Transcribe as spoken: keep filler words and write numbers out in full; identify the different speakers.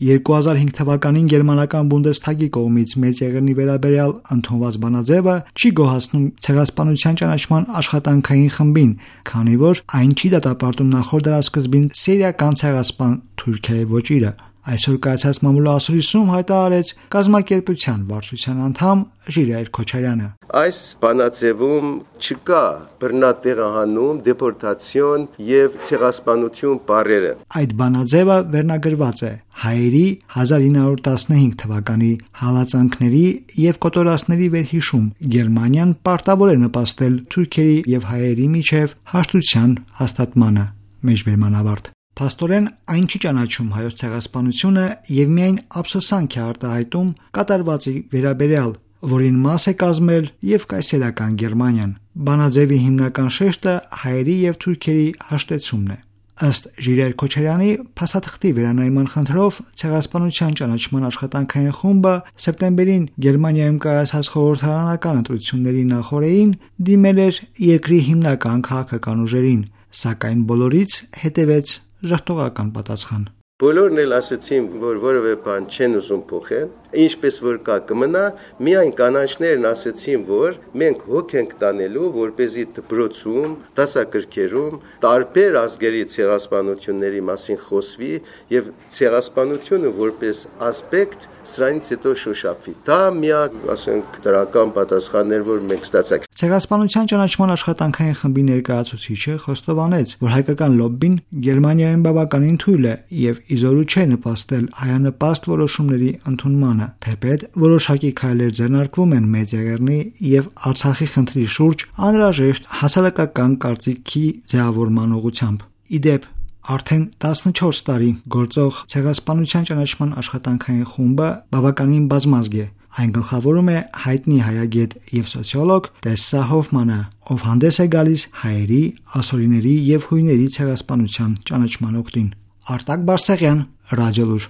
Speaker 1: երկու հազար հինգ թվականին գերմանական Բունդեսթագի կողմից Մեծեղեռնի վերաբերյալ ընդունված բանաձևը չի գոհացնում ցեղասպանության ճանաչման աշխատանքային խմբին, քանի որ այն չի դատապարտում նախորդ դարասկզբին սիրիական ցեղասպան Թուրքիայի ոճիրը։ Այսօր կայացած մամուլոասուլիսում հայտարարեց կազմակերպության վարչության անդամ Ժիրայր Քոչարյանը։
Speaker 2: Այս բանաձևում չկա բռնատեղահանում, դեպորտացիոն եւ ցեղասպանություն բառերը։
Speaker 1: Այդ բանաձևը վերնագրված է հայերի հազար ինը հարյուր տասնհինգ թվականի հալածանքների եւ կոտորածների վերհիշում։ Գերմանիան պարտավոր է նպաստել թուրքերի եւ հայերի միջև հաշտության հաստատմանը։ Մեջբերմանավարտ։ Փաստորեն այն չի ճանաչում հայոց ցեղասպանությունը եւ միայն ափսոսանք է արտահայտում կատարվածի վերաբերյալ, որին մաս է կազմել եւ կայսերական Գերմանիան։ Բանաձևի հիմնական շեշտը հայերի եւ թուրքերի հաշտեցումն է։ Ըստ Ժիրայր Քոչարյանի, փաստաթղթի վերանայման խնդրով ցեղասպանության ճանաչման աշխատանքային խումբը սեպտեմբերին Գերմանիայում կայացած խորհրդարանական ընտրությունների նախօրեին դիմել էր երկրի հիմնական քաղաքական ուժերին, սակայն բոլորից հետևեց ժխտողական պատասխան։
Speaker 2: Բոլորն էլ ասացին, որ որևէ բան չեն ուզում փոխել, ինչպես որ կա կմնա, միայն կանանչներն ասացին, որ մենք հոգ ենք տանելու, որպեսզի դպրոցում, դասագրքերում տարբեր ազգերի ցեղասպանությունների մասին խոսվի եւ ցեղասպանությունը որպես ասպեկտ սրանից հետո շոշափվի։ Դա միակ, ասենք, դրական պատասխաններ, որ մենք ստացանք։
Speaker 1: Ցեղասպանության ճանաչման աշխատանքային խմբի ներկայացուցիչը խոստովանեց, որ հայկական լոբբին Գերմանիայում բավականին թույլ է եւ իզորու չէ նպաստել հայանպաստ որոշումների ընդունմանը, թեպետ որոշակի քայլեր ձեռնարկվում են Մեծեղեռնի եւ Արցախի խնդրի շուրջ անհրաժեշտ հասարակական կարծիքի ձևավորման ուղղությամբ։ Իդեպ, արդեն տասնչորս տարի գործող ցեղասպանության ճանաչման աշխատանքային խումբը բավականին բազմազգ է։ Այն գլխավորում է հայտնի հայագետ եւ սոցիոլոգ Տեսսա Հոֆմանը, ով հանդես է գալիս հայերի, ասորիների եւ հույների ցեղասպանության ճանաչման օգտին։ Արտակ Բարսեղյան, Ռադիոլուր։